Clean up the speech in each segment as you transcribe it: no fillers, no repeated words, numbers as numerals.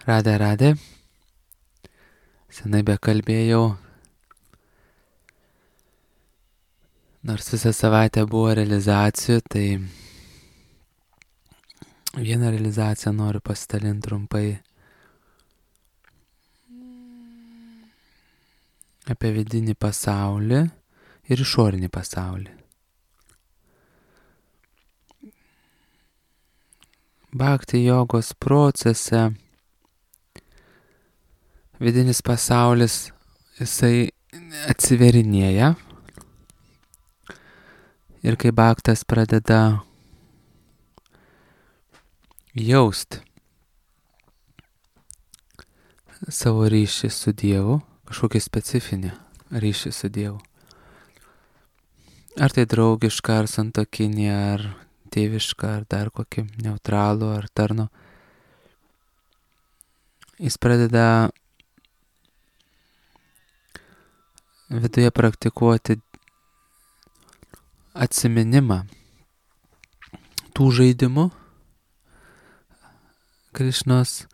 Radė. Senai bekalbėjau. Nors visą savaitę buvo realizacijų, tai vieną realizaciją noriu pasidalinti trumpai apie vidinį pasaulį ir išorinį pasaulį. Bhakti jogos procese vidinis pasaulis, jisai atsiverinėja ir kai bhaktas pradeda jaust savo ryšį su Dievu, kažkokį specifinį ryšį su Dievu. Ar tai draugiška, ar santuokinė, ar tėviška, ar dar kokį neutralų, ar tarno. Jis pradeda viduje praktikuoti atsiminimą tų žaidimų Krišnos,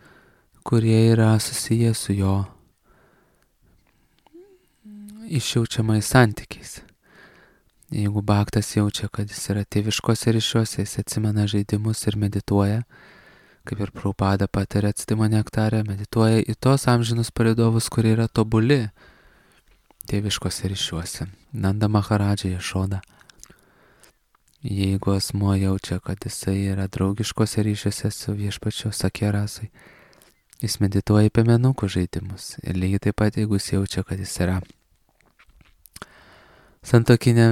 kurie yra susiję su jo išjaučiamais santykiais. Jeigu bhaktas jaučia, kad jis yra tėviškose ryšiuose, jis atsimena žaidimus ir medituoja, kaip ir Prabhupada patiria atstimo nektarę, medituoja į tos amžinus palydovus, kurie yra tobuli tėviškose ryšiuose. Nanda Maharadža, Jašoda. Jeigu asmuo jaučia, kad jisai yra draugiškose ryšiuose su viešpačiu Sakierasai, jis medituoja į piemenukų žaidimus. Ir lygiai taip pat, jeigu jis jaučia, kad jis yra santuokinė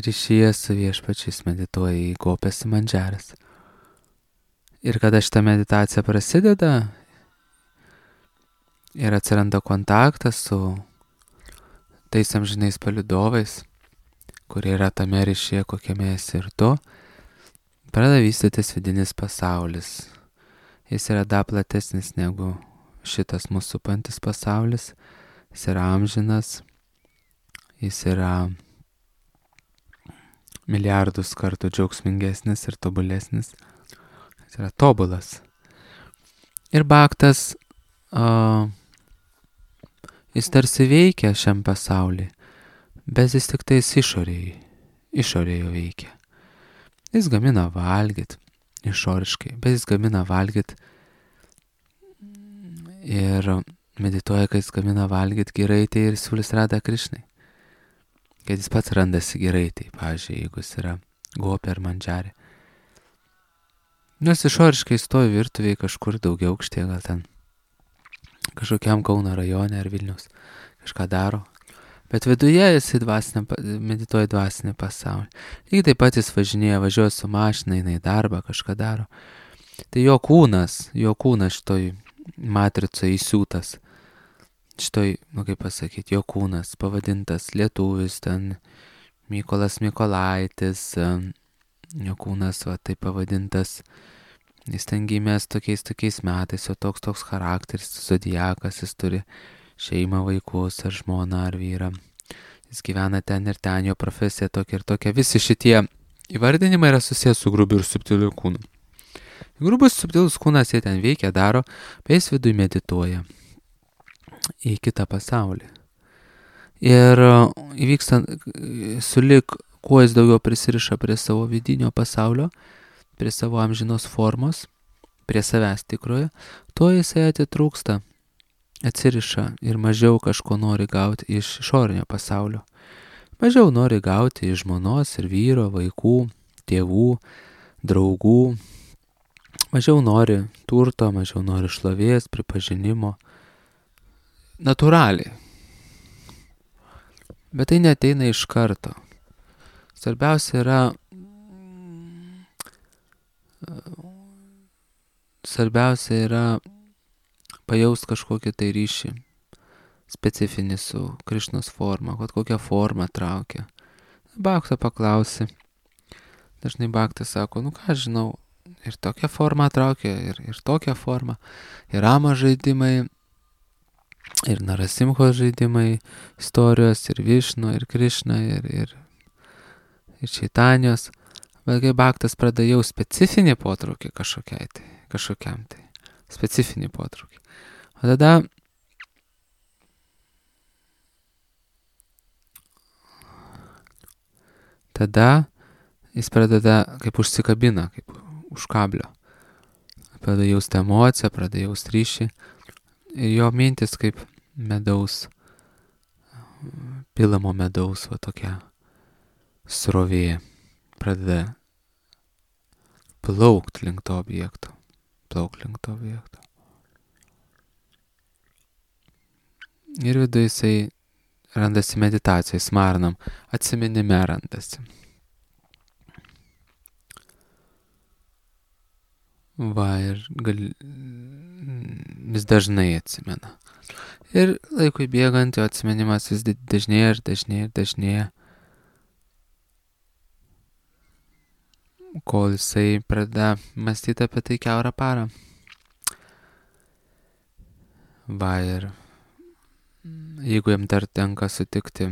ryšyje su viešpačiu, jis medituoja į gopės mandžaras. Ir kada šita meditacija prasideda ir atsiranda kontaktas su tais amžinais palydovais, kurie yra tame ryšyje, kokiame esi ir tu, pradeda vystytis vidinis pasaulis. Jis yra dar platesnis negu šitas mūsų supantis pasaulis. Jis yra amžinas, jis yra milijardus kartų džiaugsmingesnis ir tobulesnis. Jis yra tobulas. Ir bhaktas, jis tarsi veikia šiam pasauliui, bet jis tik tais išorėje veikia. Jis gamina valgyt išoriškai, bet jis gamina valgyt ir medituoja, kad jis gamina valgyt giraitį ir siūlys Radha Krišnai. Kad jis pats randasi giraitį, pavyzdžiui, jeigu jis yra gopė ar mandžarė. Nors išoriškai stovi virtuviai kažkur daugiau aukštėje, gal ten kažkokiam Kauno rajone ar Vilniaus kažką daro. Bet viduje jis medituoja dvasinį pasaulį. Lygiai taip pat jis važiuoja su mašina, eina į darbą, kažką daro. Tai jo kūnas šitoj matricoje įsiūtas. Šitoj, kaip pasakyti, jo kūnas pavadintas lietuvis, ten Mykolas Mykolaitis, jo kūnas taip pavadintas. Jis ten gimęs tokiais metais, jo toks charakteris, zodiakas, jis turi šeimą, vaikus, ar žmoną, ar vyrą. Jis gyvena ten ir ten, jo profesija tokia ir tokia. Visi šitie įvardinimai yra susijęs su grubiu ir subtiliu kūnu. Grubus subtilus kūnas jie ten veikia, daro, bet jis viduje medituoja į kitą pasaulį. Ir įvyksta sulik, kuo jis daugiau prisiriša prie savo vidinio pasaulio, prie savo amžinos formos, prie savęs tikroje, tuo jisai atitrūksta, atsiriša ir mažiau kažko nori gauti iš išorinio pasaulio. Mažiau nori gauti iš žmonos ir vyro, vaikų, tėvų, draugų. Mažiau nori turto, mažiau nori šlovės, pripažinimo. Natūraliai. Bet tai neateina iš karto. Svarbiausia yra pajaust kažkokį tai ryšį specifinį su Krišnos forma, kad kokią formą traukia. Bhakta paklausi. Dažnai bhaktas sako, ką žinau, ir tokią formą traukia, ir tokią formą. Ir Rama žaidimai, ir Narasimhos žaidimai, istorijos, ir Višnu, ir Krišna, ir Čaitanijos. Bet kai bhaktas pradeda jau specifinį potraukį kažkokiam tai, specifinį potraukį. O tada jis pradeda kaip užsikabina, kaip už kablio. Pradeda jausti emociją, pradeda jausti ryšį. Ir jo mintis kaip medaus, pilamo medaus, va tokia srovė. Pradeda plaukt link to objekto. Ir viduje jisai randasi meditacijai, smarnam, atsiminime randasi. Va, ir vis dažnai atsimena. Ir laikui bėgant jo atsiminimas vis dažnėja, kol jisai pradeda mąstyti apie tai kiaurą parą. Va, ir jeigu jam dar tenka sutikti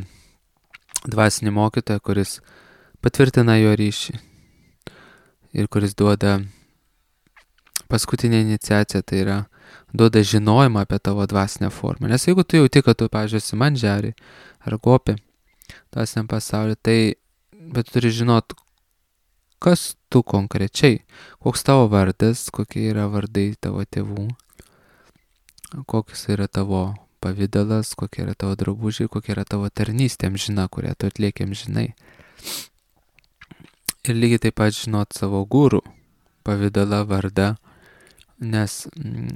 dvasinį mokytoją, kuris patvirtina jo ryšį ir kuris duoda paskutinę iniciaciją, tai yra duoda žinojimą apie tavo dvasinę formą. Nes jeigu tu jauti, kad tu, pavyzdžiui, esi mandžiari ar gopė dvasiniam pasauliu, tai bet turi žinot, kas tu konkrečiai, koks tavo vardas, kokie yra vardai tavo tėvų, koks yra tavo pavidalas, kokie yra tavo drabužiai, kokia yra tavo tarnystė amžina, kurią tu atlieki amžinai. Ir lygiai taip pat žinot savo gurų pavidalą, vardą, nes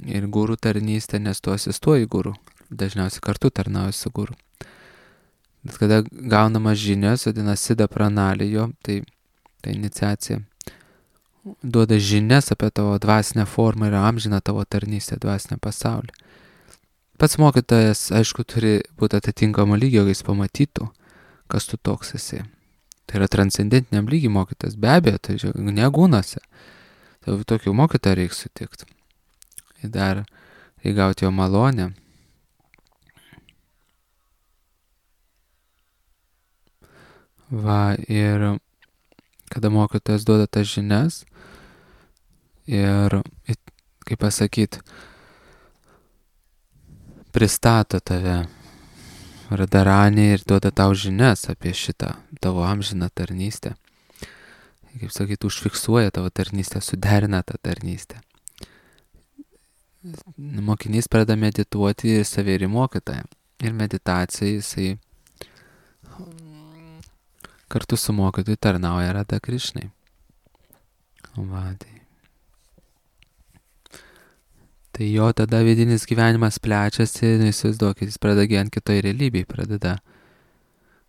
ir gurų tarnystė, nes tu asistuoji gurų, dažniausiai kartu tarnauji su gurų. Bet kada gaunamas žinios, vadinasi Siddha Pranalijo, tai iniciacija duoda žinias apie tavo dvasinę formą ir amžiną tavo tarnystę dvasinę pasaulį. Pats mokytojas, aišku, turi būti atitinkamo lygio, kai jis pamatytų, kas tu toks esi. Tai yra transcendentiniam lygiai mokytas, be abejo, tai negūnose. Tai tokių mokytojų reikia sutikti. Ir dar reikia gauti jo malonę. Va, ir kada mokytojas duoda tas žinias ir, kaip pasakyti, pristato tave Radharanį ir duoda tau žinias apie šitą tavo amžiną tarnystę. Kaip sakyti, užfiksuoja tavo tarnystę, suderina tą tarnystę. Mokinys pradeda medituoti ir save ir mokytoją. Ir meditacija jisai kartu su mokytoju tarnauja Radha Krišnai. Tai jo tada vidinis gyvenimas plečiasi, įsivaizduokit, jis pradeda gyventi kitoj realybėj,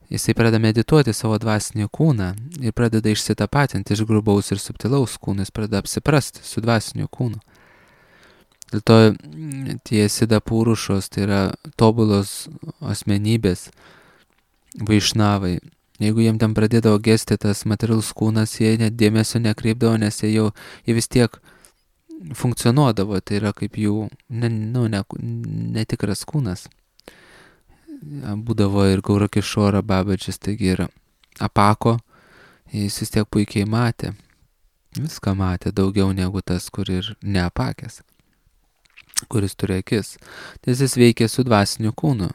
jisai pradeda medituoti savo dvasinį kūną ir pradeda išsitapatinti iš grubaus ir subtilaus kūno, jis pradeda apsiprasti su dvasiniu kūnu. Dėl to tie Siddha Purušos, tai yra tobulos asmenybės, vaišnavai. Jeigu jiem ten pradėdavo gesti tas materialus kūnas, jie net dėmesio nekreipdavo, nes jie vis tiek funkcionuodavo, tai yra kaip jų netikras kūnas. Būdavo ir Gaurakišora Babadžis, taigi ir apako, jis vis tiek puikiai matė. Viską matė daugiau negu tas, kur ir neapakęs, kuris turi akis. Tai jis veikia su dvasiniu kūnu.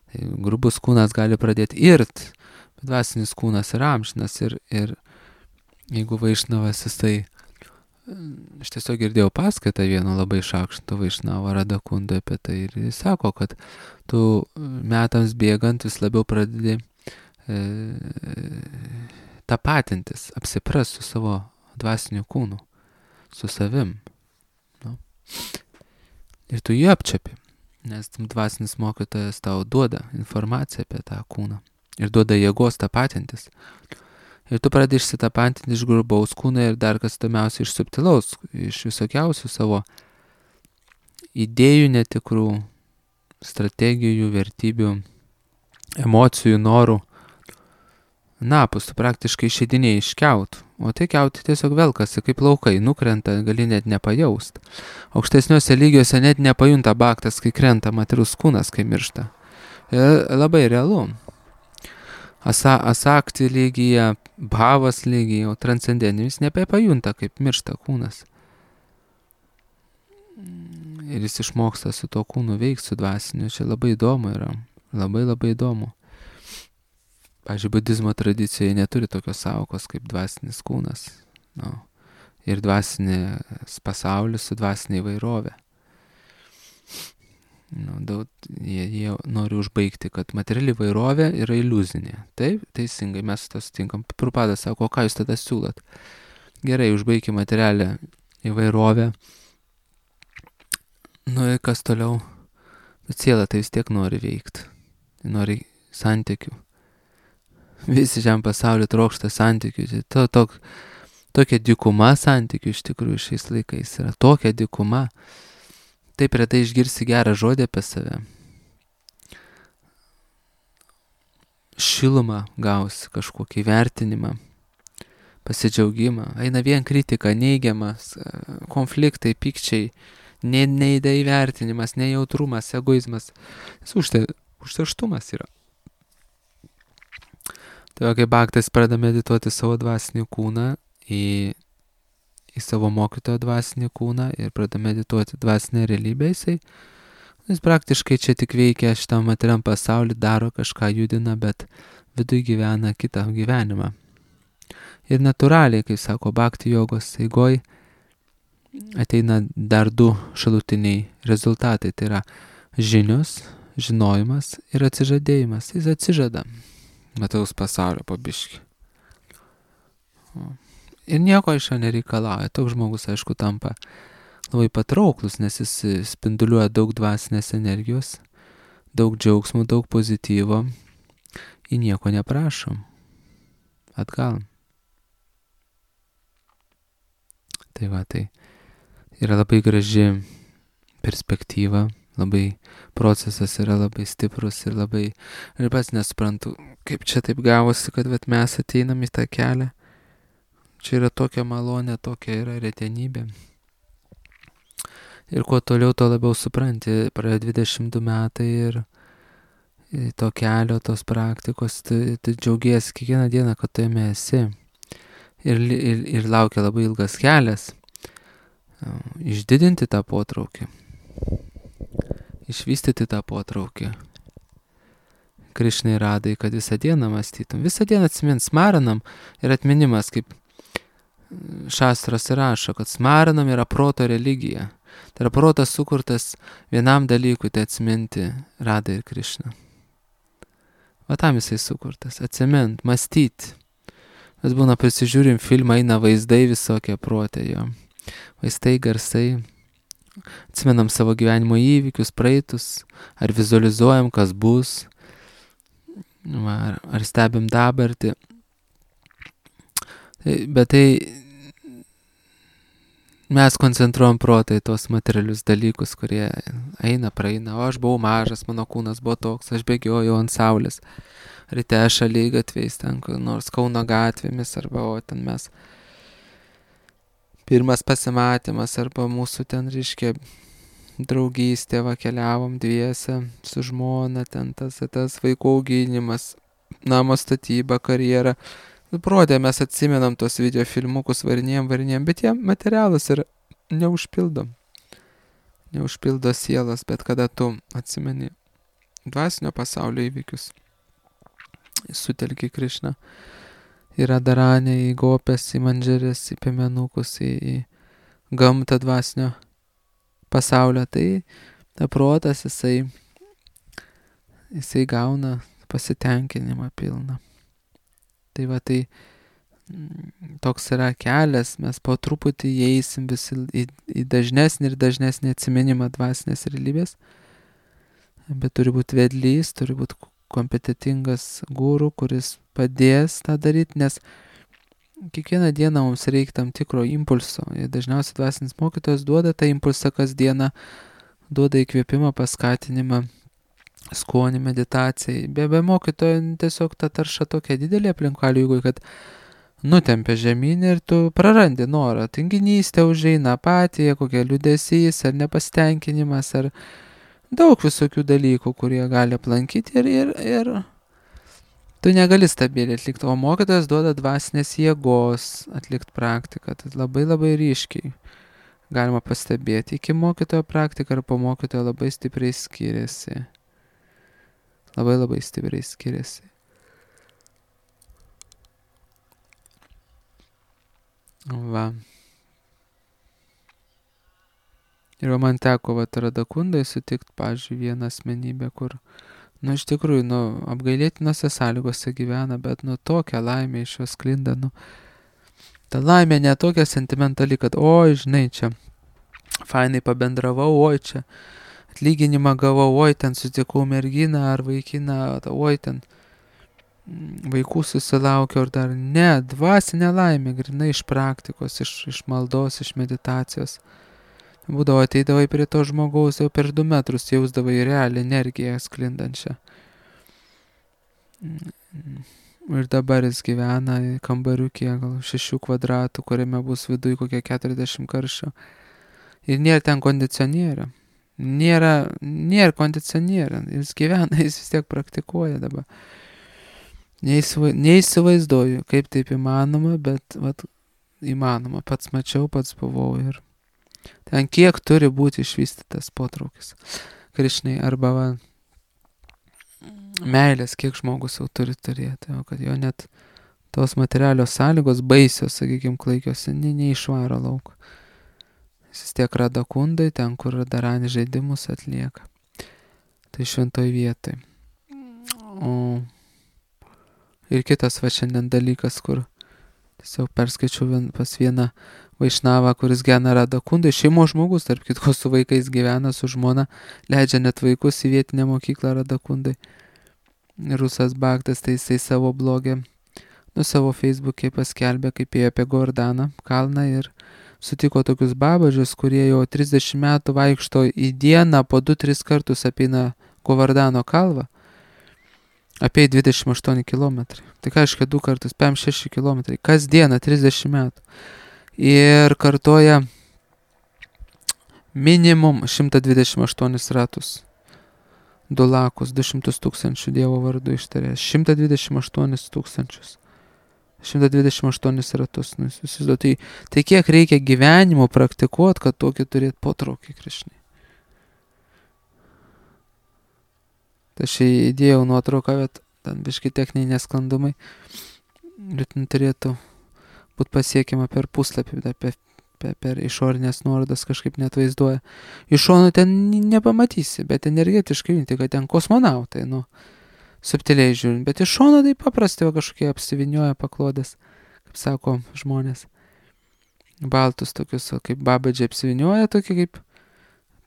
Tai grubus kūnas gali pradėti irt, bet dvasinis kūnas yra amžinas ir jeigu vaišnavas jisai, aš tiesiog girdėjau paskaitą vieno labai šakšto vaišnavo Radakundai apie tai ir jis sako, kad tu metams bėgant vis labiau pradedi tapatintis, apsiprast su savo dvasiniu kūnu, su savim. No. Ir tu jį apčiapi, nes dvasinis mokytojas tau duoda informaciją apie tą kūną ir duoda jėgos tapatintis. Ir tu pradedi išsitapatinti iš grubaus kūno ir dar kas įdomiausia iš subtilaus, iš visokiausių savo idėjų netikrų, strategijų, vertybių, emocijų, norų. Napus tu praktiškai išeidinėjai iš kiautų, o tai kiautai tiesiog velkasi kaip laukai, nukrenta, gali net nepajaust. Aukštesniuose lygiuose net nepajunta baktas, kai krenta materialus kūnas, kai miršta. Ir labai realu. Asakti lygyje, bhavas lygyje, o transcendentinis nepajunta, kaip miršta kūnas. ir jis išmoksta su to kūnu veikti, su dvasiniu. Čia labai įdomu yra. Labai labai įdomu. Pavyzdžiui, budizmo tradicijoje neturi tokios sąvokos kaip dvasinis kūnas. No. Ir dvasinis pasaulis su dvasinė įvairovė. No, jie nori užbaigti, kad materiali įvairovė yra iliuzinė. Taip, teisingai, mes to sutinkam. Prabhupada sako, o ką jūs tada siūlot? Gerai, užbaigti materialią įvairovę. Nu ir kas toliau? Siela tai vis tiek nori veikti. Nori santykių. Visi šiam pasauliu trokšta santykių. Tokia dykuma santykių iš tikrųjų šiais laikais yra. Tokia dykuma. Taip retai išgirsi gerą žodį apie save. Šilumą gausi, kažkokį vertinimą, pasidžiaugimą. Eina vien kritika, neigiamas, konfliktai, pykčiai, neįvertinimas, nejautrumas, egoizmas. Užterštumas yra. Tai kai bhaktas pradeda medituoti savo dvasinį kūną į savo mokytojo dvasinį kūną ir pradeda medituoti dvasinę realybę, jis praktiškai čia tik veikia šitam materiam pasaulį, daro kažką, judina, bet viduje gyvena kitą gyvenimą. Ir natūraliai, kaip sako bhakti jogos eigoj, ateina dar du šalutiniai rezultatai. Tai yra žinios, žinojimas ir atsižadėjimas. Jis atsižada metaus pasaulio po biškį. Ir nieko iš jo nereikalauja. Toks žmogus, aišku, tampa labai patrauklus, nes jis spinduliuoja daug dvasinės energijos, daug džiaugsmų, daug pozityvo. Į nieko neprašom. Atgal. Tai va, tai yra labai graži perspektyva, labai procesas yra labai stiprus ir labai, ir pats nesuprantu, kaip čia taip gavosi, kad mes ateinam į tą kelią. Čia yra tokia malonė, tokia yra retenybė. Ir kuo toliau, to labiau supranti, praėjo 22 metai ir to kelio, tos praktikos, tai džiaugiesi kiekvieną dieną, kad tu jame esi. Ir laukia labai ilgas kelias. Išdidinti tą potraukį. Išvystyti tą potraukį. Krišnai radai, kad visą dieną mąstytum. Visą dieną atsimint, smaranam ir atminimas, kaip šastras rašo, kad smaranam yra proto religija. Tai yra protas sukurtas vienam dalykui, tai atsiminti Radai ir Krišną. Va tam jisai sukurtas. Atsimint, mąstyti. Mes būna prisižiūrim filmą, eina vaizdai visokie protė jo. Vaistai, garsai. Atsimenam savo gyvenimo įvykius, praeitus, ar vizualizuojam, kas bus, ar stebim dabartį. Bet tai mes koncentruojam protą į tos materialius dalykus, kurie eina, praeina. O aš buvau mažas, mano kūnas buvo toks, aš bėgiojau ant saulės. Ryte šaligatviais, ten nors Kauno gatvėmis, arba o ten mes pirmas pasimatymas, arba mūsų ten, reiškia, draugystė, keliavom dviese su žmona, ten tas vaikų auginimas, namo statyba, karjera. Prodė, mes atsimenam tos video filmukus, varinėjom, bet jie materialus ir neužpildo. Neužpildo sielas, bet kada tu atsimeni dvasinio pasaulio įvykius, sutelki Krišną, į Radharanę, į gopes, į mandžerės, į piemenukus, į gamtą dvasinio pasaulio, tai ta protas jisai gauna pasitenkinimą pilną. Tai va, tai toks yra kelias, mes po truputį įeisim visi į dažnesnį ir dažnesnį atsiminimą dvasinės realybės, bet turi būti vedlys, turi būti kompetitingas guru, kuris padės tą daryti, nes kiekvieną dieną mums reikia tam tikro impulso. Ir dažniausiai dvasinis mokytojas duoda tą impulsą kasdieną, duoda įkvėpimą, paskatinimą, skonį, meditacijai. Be mokytojo tiesiog ta tarša tokia didelė aplinkalių, jeigu kad nutempia žemyn ir tu prarandi norą. Tinginystė užeina, apatija, kokia liūdesys ar nepasitenkinimas, ar daug visokių dalykų, kurie gali aplankyti ir tu negali stabiliai atlikti. O mokytojas duoda dvasinės jėgos atlikti praktiką. Tai labai labai ryškiai galima pastebėti iki mokytojo praktika ir po mokytojo labai stipriai skiriasi. Labai stipriai skiriasi. Va. Ir man teko Radakundai sutikti, pavyzdžiui, vieną asmenybę, kur, iš tikrųjų, apgailėtinose sąlygose gyvena, bet, tokia laimė iš jos sklinda, ta laimė ne tokia sentimentali, kad, oi, žinai, čia fainai pabendravau, oi, čia atlyginimą gavau, oi, ten sutikau merginą ar vaikiną, oi, ten vaikų susilaukiau ir dar ne, dvasinė laimė, grinai iš praktikos, iš maldos, iš meditacijos. Būdavo, ateidavai prie to žmogaus jau per 2 metrus, jausdavai realią energiją sklindančią. Ir dabar jis gyvena kambariukė, gal 6 kvadratų, kuriame bus viduj kokie 40 karščio. Ir nėra ten kondicionierių. Nėra kondicionierių. Jis gyvena, jis vis tiek praktikuoja dabar. Neįsivaizduoju, kaip taip įmanoma, bet įmanoma. Pats mačiau, pats buvau ir ten kiek turi būti išvystytas potraukis Krišnai arba meilės, kiek žmogus jau turi turėti, kad jo net tos materialios sąlygos baisios, sakykime, klaikios, neišvaro lauk. Jis vis tiek Radakundai, ten, kur Radarani žaidimus atlieka. Tai šventoj vietoj. Ir kitas šiandien dalykas, kur tiesiog perskaičiau pas vieną Vaišnavą, kuris gyvena Radakundai, šeimos žmogus, tarp kitko su vaikais gyvena, su žmona, leidžia net vaikus į vietinę mokyklą Radakundai. Rusas Bhaktas, tai jisai savo blogė, savo Facebook'e paskelbė, kaip ėjo apie Gordaną kalną ir sutiko tokius babažius, kurie jau 30 metų vaikšto į dieną po 2-3 kartus apeina Govardano kalvą. Apie 28 km. Tai ką reiškia 2 kartus, 5-6 km. Kas dieną 30 metų. Ir kartoja minimum 128 ratus. 2 lakus, 200 tūkstančių Dievo vardu ištarės. 128 tūkstančius. 128 ratus. Tai kiek reikia gyvenimo praktikuoti, kad tokį turėti potraukį Krišnai. Tai aš įdėjau nuotrauką, bet ten biški techniniai nesklandumai. Bet turėtų būti pasiekiama per puslapį, per išorinės nuorodas kažkaip net vaizduoja. Iš šono ten nepamatysi, bet energetiškai junti, kad ten kosmonautai, subtiliai žiūrint. Bet iš šono tai paprastai kažkokie apsivinioja paklodės, kaip sako žmonės. Baltus tokius, kaip babadžiai apsivinioja, tokie kaip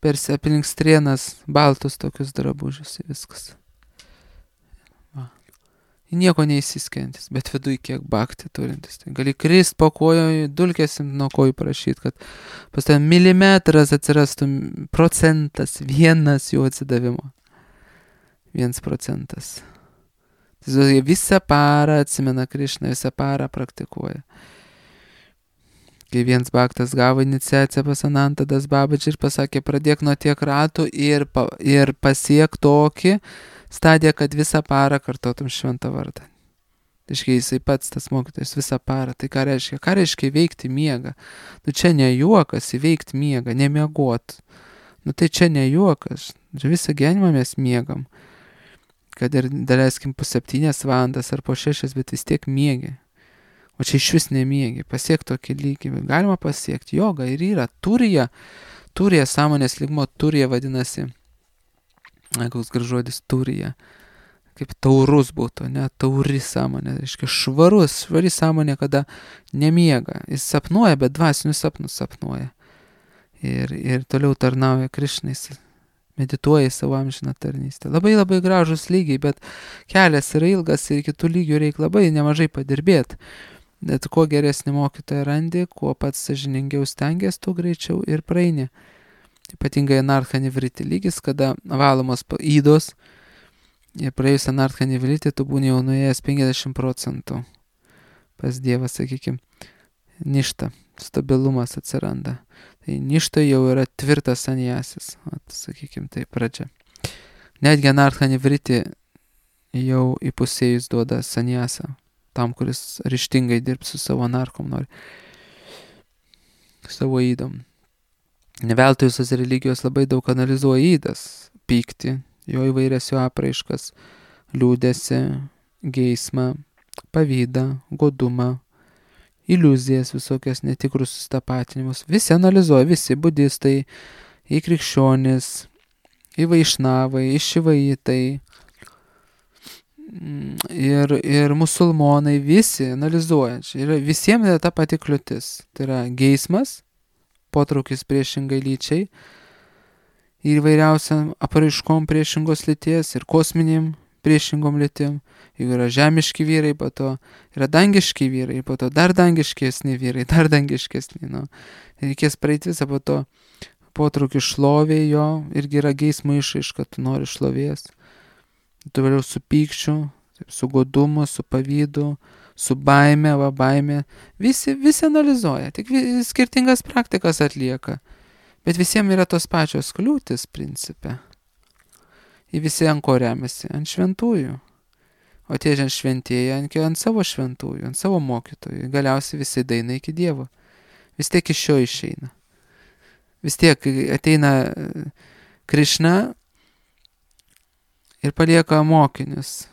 per aplink strienas, baltus tokius drabužius ir viskas. Nieko neįsiskendis, bet viduj kiek bhakti turintis. Tai gali krist po kojo, dulkėsim nuo kojų prašyti, kad pas ten milimetras atsirastų procentas, 1 jų atsidavimo. 1%. Tai visą parą atsimena Krišną, visą parą praktikuoja. Kai vienas bhaktas gavo iniciaciją pas Anantadas Babadžį ir pasakė, pradėk nuo tiek ratų ir pasiek tokį stadiją, kad visą parą kartotum šventą vardą. Tai jisai pats tas mokytojas visą parą. Tai ką reiškia? Ką reiškia įveikti miegą? Čia ne juokas įveikti miegą, nemiegot. Tai čia ne juokas. Visą gyvenimą mes miegam. Kad ir daleiskim po 7 valandas ar po 6, bet vis tiek miegi. O čia iš vis nemiegi. Pasiek tokį lygį. Galima pasiekti. Joga ir yra. Turija, sąmonės lygmo turija vadinasi. Koks gražodis turija. Kaip taurus būtų, ne? Tauri sąmonė. Reiškia švari sąmonė, kada nemiega. Jis sapnuoja, bet dvasinius sapnus sapnuoja. Ir toliau tarnauja Krišnais. Medituoja į savo amžiną tarnystę. Labai gražus lygiai, bet kelias yra ilgas ir kitų lygių reikia labai nemažai padirbėti. Bet kuo geresnį mokytoją randi, kuo pats sąžiningiau stengiasi, tuo greičiau ir praeini. Ypatingai anarcha nivriti lygis, kada valomos įdos, ir praėjus anarcha nivriti, tu būni jau nuėjęs 50% pas Dievą, sakykime, ništa, stabilumas atsiranda. Tai ništa jau yra tvirtas sanjasis, sakykime, tai pradžia. Netgi anarcha nivriti jau įpusėjus duoda sanjasą, tam, kuris ryžtingai dirbs su savo anarchom nori, savo įdom. Neveltui visos religijos labai daug analizuoja įdas, pyktį, jo įvairias jo apraiškas, liūdėsi, geismą, pavydą, godumą, iliuzijas visokias, netikrus sustapatinimus. Visi analizuoja, visi budistai, į krikščionis, į vaišnavai, į šivaitai ir musulmonai, visi analizuoja. Visiems yra ta pati kliūtis. Tai yra geismas, potraukis priešingai lyčiai ir įvairiausiam apraiškom priešingos lyties ir kosminėm priešingom lytim. Jeigu yra žemiški vyrai, po to yra dangiški vyrai, po to dar dangiškesni vyrai, dar dangiškesni. Nu. Reikės praeiti visą po to potraukį šlovė jo, irgi yra geismo išraiška, tu nori šlovės. Tu vėliau su pykčiu, su godumu, su pavydu, su baime, baime. Visi analizuoja, tik skirtingas praktikas atlieka. Bet visiems yra tos pačios kliūtis principe. Ir visi ant ko remiasi? Ant šventųjų. O tie šventieji ant savo šventųjų, ant savo mokytojų. Galiausiai visi daina iki Dievo. Vis tiek iš šio išeina. Vis tiek ateina Krišna ir palieka mokinius.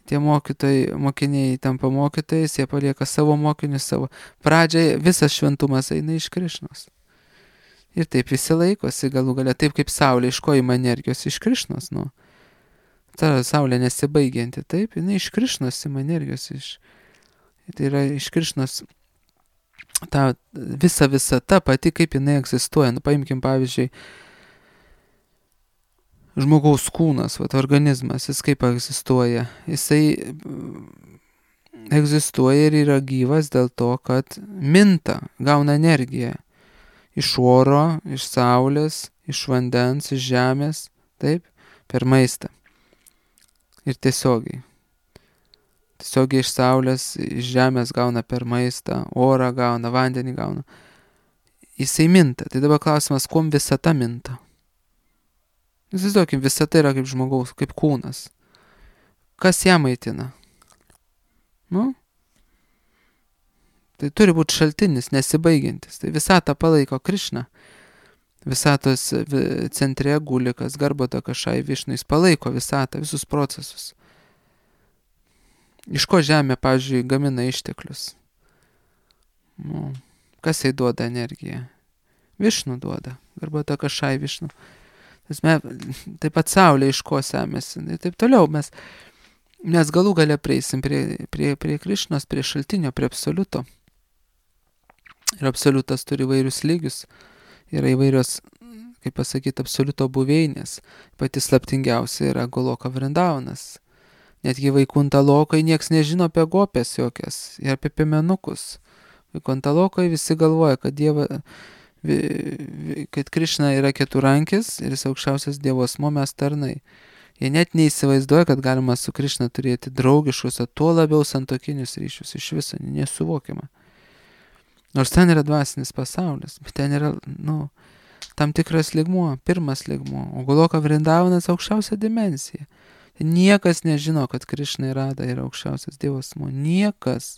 Tie mokiniai tampa mokytojais, jie palieka savo mokinius savo. Pradžiai visas šventumas eina iš Krišnos. Ir taip visi laikosi galų galia, taip kaip saulė, iš ko ima energijos, iš Krišnos, nu. Ta saulė nesibaigianti, taip, jinai iš Krišnos ima energijos, tai yra iš Krišnos ta visa visata pati, kaip jinai egzistuoja. Nu, paimkim pavyzdžiui, žmogaus kūnas, organizmas, jis kaip egzistuoja. Jisai egzistuoja ir yra gyvas dėl to, kad minta, gauna energiją. Iš oro, iš saulės, iš vandens, iš žemės, taip, per maistą. Ir tiesiogiai. Tiesiogiai iš saulės, iš žemės gauna per maistą, orą gauna, vandenį gauna. Jisai minta. Tai dabar klausimas, kuom visata minta? Įsivaizduokim, visata yra kaip žmogaus, kaip kūnas. Kas ją maitina? Nu? Tai turi būti šaltinis, nesibaigiantis. Tai visatą palaiko Krišna. Visatos centre gulikas, Garbhata Kašai Višnu, jis palaiko visatą, visus procesus. Iš ko žemė, pavyzdžiui, gamina išteklius? Nu, kas jai duoda energiją? Višnu duoda, Garbhata Kašai Višnu. Taip pat saulė iš ko semėsi. Ir taip toliau mes galų gale prieisim prie Krišnos, prie šaltinio, prie absoliuto. Ir absoliutas turi įvairius lygius. Yra įvairios, kaip pasakyti, absoliuto buveinės. Pati slaptingiausia yra Goloka Vrindavanas. Netgi Vaikunta Lokai nieks nežino apie gopės jokias ir apie piemenukus. Vaikunta Lokai visi galvoja, kad kad Krišna yra keturankis ir jis aukščiausias Dievo asmuo, mes tarnai. Jie net neįsivaizduoja, kad galima su Krišna turėti draugiškus, o tuo labiau santokinius ryšius. Iš viso nesuvokiama. Nors ten yra dvasinis pasaulis, bet ten yra, tam tikras lygmuo, pirmas lygmuo. O Goloka Vrindavanas aukščiausia dimensija. Niekas nežino, kad Krišna ir Rada yra aukščiausias Dievo asmuo. Niekas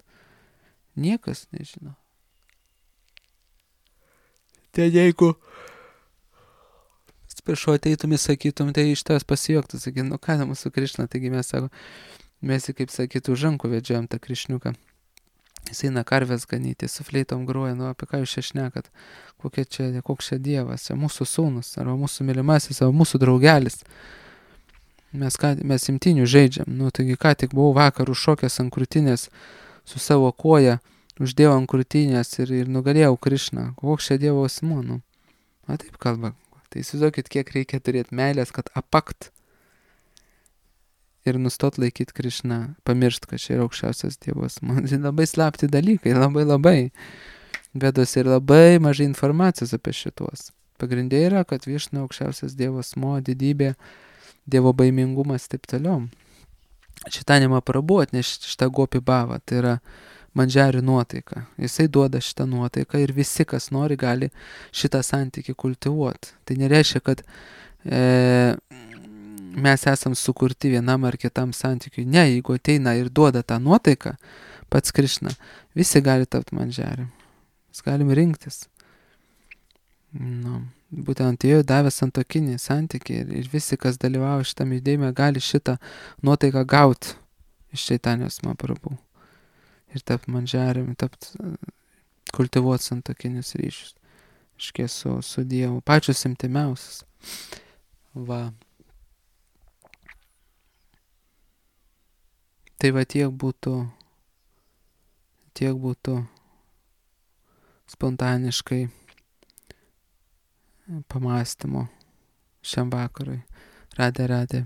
nežino. Tai jeigu atsiprašau, ateitum ir sakytum, tai iš tavęs pasijuoktų, sakytum, ką mūsų Krišna, taigi mes jį, kaip sakytų, už rankų vedžiojam tą Krišniuką. Jis eina karvės ganyti, su fleitom groja, apie ką jūs čia šnekat, koks čia Dievas, čia mūsų sūnus, arba mūsų mylimasis, arba mūsų draugelis. Mes imtinių žaidžiam, taigi ką tik buvau vakar užšokęs ant krūtinės su savo koja, uždėjau ant krūtinės ir nugalėjau Krišną, koks čia Dievo asmuo, taip kalba. Tai įsivaizduokit, kiek reikia turėti meilės, kad apakt ir nustot laikyti Krišną, pamiršt, kad čia yra aukščiausias Dievas. Man tai labai slapti dalykai, labai. Vedos ir labai mažai informacijos apie šitos. Pagrindė yra, kad Višnu aukščiausias Dievas asmuo, didybė, Dievo baimingumas, taip toliau. Šitą nemaprabuot, nes šitą gopi bhavą, tai yra mandžiarių nuotaika. Jisai duoda šitą nuotaiką ir visi, kas nori, gali šitą santykį kultivuoti. Tai nereiškia, kad mes esam sukurti vienam ar kitam santykiui. Ne, jeigu ateina ir duoda tą nuotaiką, pats Krišna, visi gali tapti mandžiariu. Mes galim rinktis. Nu, būtent Dievui davė santuokinį santykį ir visi, kas dalyvauja šitame judėjime, gali šitą nuotaiką gauti iš Čaitanijos Mahaprabhu. Ir tapt manžeriumi, kultivuoti santuokinius ryšius. Iškės su Dievu. Pačius imtimiausius. Va. Tai va tiek būtų spontaniškai pamastymo šiam vakarui. Radė.